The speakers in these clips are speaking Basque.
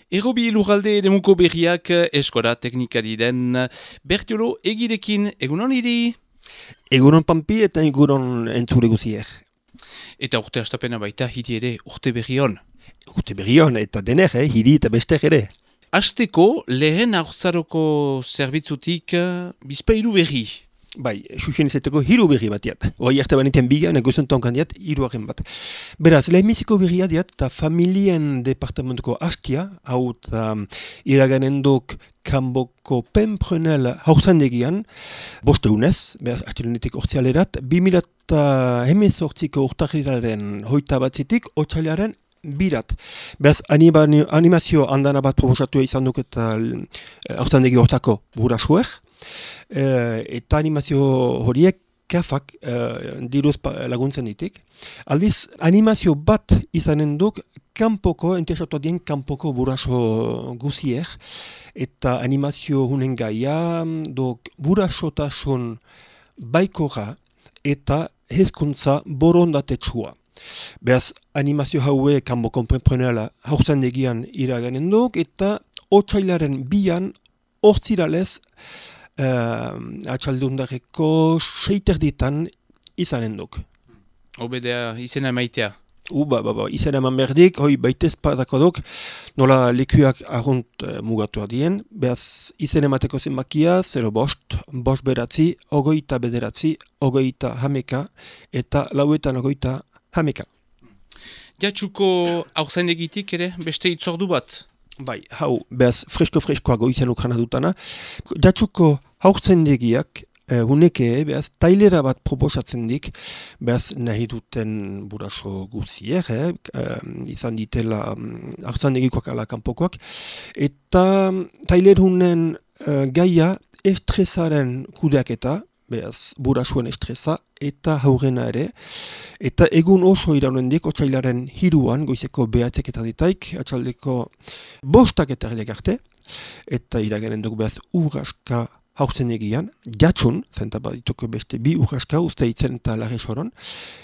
Errobi lurralde eremuko berriak eskola teknikari den Bertiolo egirekin egunon hiri. Egunon Pampi eta egunon entzule guziek. Eta urte hastapena baita hiri ere urte berri hon. Urte berri hon eta dener, hiri eta bestek ere. Hasteko lehen haurzaroko zerbitzutik bizpairu berri. Bai, xuxen izaiteko hiru berri bat diat. Hoi arte baniten biga, negozionton kandiat, hiruaren bat. Beraz, lehenbiziko berria diat, eta familien departamentuko hastia, hau eta iraganendok kanboko penprenel haurzandegian, bosteunez, beraz, hastilunetik ortsialerat, 2018ko urtarrilaren hoita batzitik, otsailaren birat. Beraz, animazio andana bat proposatu izan duk eta haurzandegi hortako burasuek, eta animazio horiek kafak diruz laguntzen ditik. Aldiz, animazio bat izanen duk kanpoko, interesatu dien kanpoko buraso guziek, eta animazio hunen gaia, burasotasun baikora eta hezkuntza borondatetsua. Beraz, animazio haue kanpoko penprenela haurzandegian iraganen duk, eta otsailaren bian hortziralez atxaldundareko 6 izanen duk. Obedea izena maitea. Izena eman berdik, hoi baitez padako duk, nola lekuak argunt mugatu adien, behaz izen emateko zenbakia, 0 bost beratzi, 29 bederatzi, 29 hameka, eta 29 hameka. Jatsuko haurzaindegitik ere beste itzordu bat? Bai, hau, behaz freskoa goizan ukrana dutana. Jatsuko haurtzendegiak, huneke, behaz, tailera bat proposatzen dik, behaz, nahi duten buraso guzier, izan ditela haurtzendegikoak ala kanpokoak, eta tailer hunen gaia estresaren kudeaketa, behaz, burasuen estresa, eta haurrena ere, eta egun oso iraunen otsailaren 3 goizeko behatzek eta ditaik, atxaldeko 5 eta erdiak arte, eta iragenen duk behaz urraska haurtzenegian, jatsun, zenta badituko beste 2 urraska, uste itzen eta larri soron,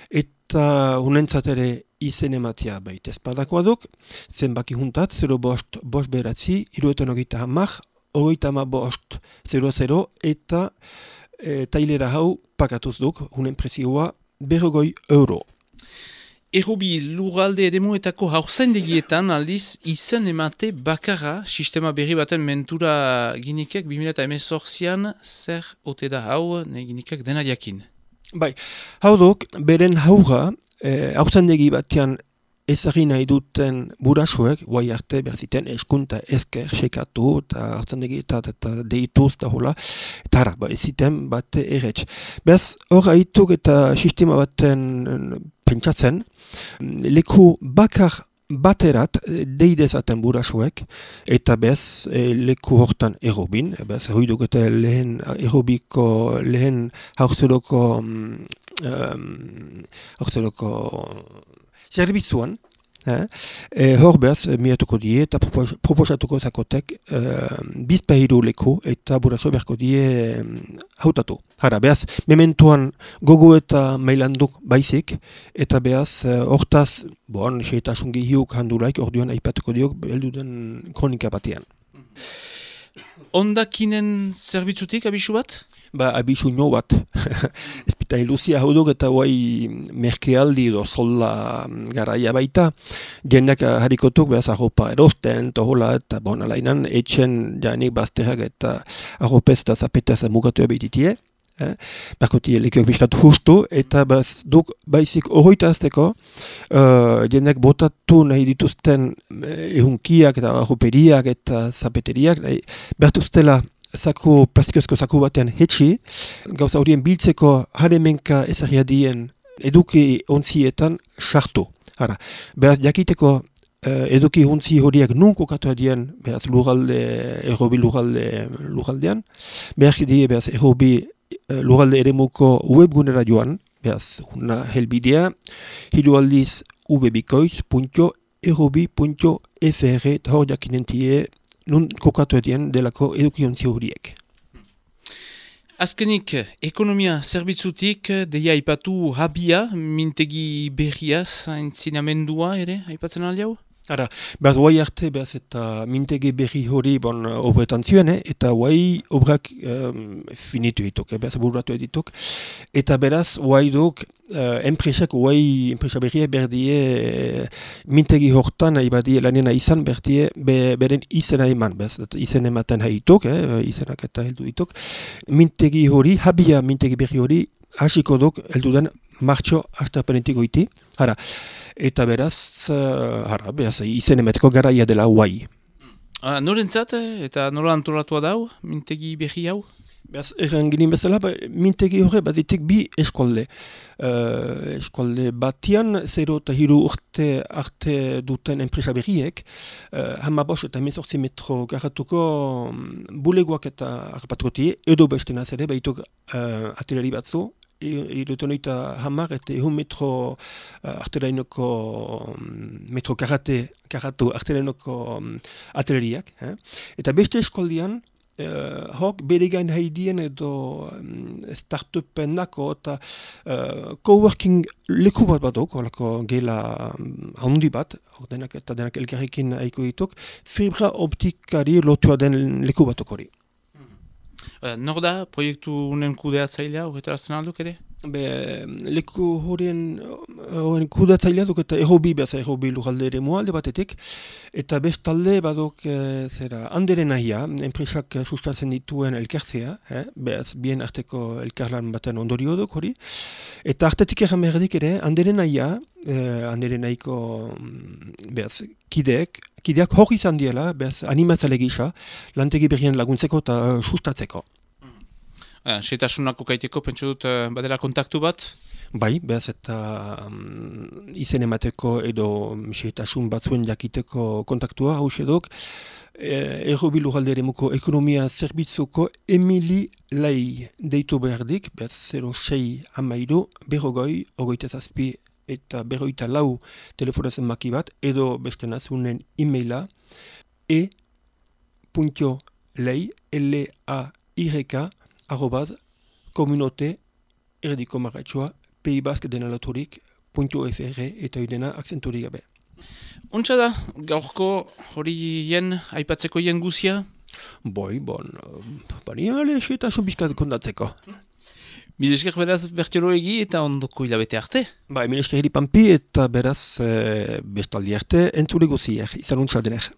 eta hunentzat ere izen ematia baita espadakoa duk, zenbaki juntat, 0 bost beratzi, 30 hamak, 35 00, eta tailera hau pakatuz duk, hunen prezioa €50. Errobi lurralde eremuetako haurzaindegietan aldiz izen emate bakarra sistema berri baten mentura ginikek 2018an zer ote da hau ginikek dena jakin. Bai, hau duk, beren haura haurzaindegi batean ezagin nahi duten burasuek, guai arte berziten eskunta esker sekatu eta hartzandegi eta deituz eta hola, eta hara, eziten bat erretz. Bez, hor haituk eta sistema baten pentsatzen, leku bakar baterat deidezaten burasuek, eta bez, leku hortan errobin, bez, hoiduk eta lehen errobiko, lehen haurzeroko zerbitzuan, hor behaz, miatuko die eta proposatuko zakotek bizpahiru leku eta buraso beharko die hautatu. Hara, behaz, mementuan gogo eta mailanduk baizik, eta behaz, hortaz, seitasun gehiuk handulaik, orduan aipatuko diok, belduden kronika batean. Ondakinen zerbitzutik abisu bat? Abisu nio bat. Ezpita iluzia hau duk eta guai merkealdi edo sola garaia baita. Jendeak harikotuk behaz arropa erosten, tohola eta alainan etxen janik bazterrak eta arropez eta zapetaz mugatu abititie. Berkotie lekiok biskatu justu eta duk baizik horroita azteko jendeak botatu nahi dituzten ehunkiak eta arroperiak eta zapeteriak bertuztela plastikozko zaku batean hetxi, gauza horien biltzeko haremenka ezagia dien eduki ontzietan sartu. Hara, behaz jakiteko eduki ontzi horiek nun kokatu dien, behaz errobi lurraldean, behaz die behaz errobi lurralde eremuko webgunera joan, behaz una helbidea, hiru aldiz ubebikoiz.errobi.fr eta hor jakinentie nun kokatu edien delako edukiontzi horiek. Azkenik, ekonomia zerbitzutik deia aipatu habia, mintegi berriaz, entzinamendua ere, aipatzen aldiau? Ara, behaz, guai arte, behaz, eta mintegi berri hori, obretan zuen, eta guai obrak finitu dituk, behaz, burratu dituk. Eta beraz, guai duk, enpresa berria berdie mintegi hortan, ibadie lanena izan, berdie, beren izena eman, behaz, izen ematen haituk, izenak eta heldu dituk. Mintegi hori, habia mintegi berri hori, hasiko duk, heldu den, martxo astapenetik goiti, hara. Eta beraz, beraz, izen emateko garaia dela guai. Norentzat, eta nola antolatua dau, mintegi berri hau? Beraz, erran ginen bezala, mintegi horre baditik bi eskolde. Eskolde batian, 0 eta 3 urte arte duten enpresa berriek, 15 eta 18 metro garatuko bulegoak eta harrapatuko tie, edo beste nazere, baituk atelari batzu, irutenoita hamar eta 1 metro arterainoko metro karatu arterainoko ateleriak. Eta beste eskoldian, hok bere gain haidien edo startupenako eta coworking leku bat batok, horako gela handi bat, denak eta denak elkarrekin haiko dituk, fibra optikari lotua den leku batok hori. Nor da, proiektu unen kudeatzailea, horretarazten alduk ere? Leku horien kudeatzailea duk eta errobi lujalde ere alde batetik, eta bestalde badok handeren nahia, enpresak sustatzen dituen elkartzea, bien arteko elkarlan baten ondorio duk hori, eta artetik erran berdik ere, handeren nahia, handeren nahiko kideak hor izan diela, animatzale gisa, lantegi berrien laguntzeko eta sustatzeko. Setasunako kaiteko, pentsu dut, badela kontaktu bat? Bai, behaz eta izen emateko edo setasun batzuen jakiteko kontaktua, hause duk, Errobi lujalde eremuko ekonomia zerbitzuko Emili Lai deitu behardik, behaz 06 amairu, berrogoi, ogoita zazpi eta berroita lau telefonazen maki bat, edo beste nazunen e-maila e.lei, L-A-Y-K, @komunote erdiko marratxoa peibaskdenalaturik.fr eta idena akzenturik gabe. Untsa da, gaurko horien aipatzeko hien guzia? Bani ale eta sobiskat kondatzeko. Milesker beraz bertiolo egi eta ondoko hilabete arte? Milesker hiri pampi eta beraz bestaldi arte entzule guziak, izan untsa denek.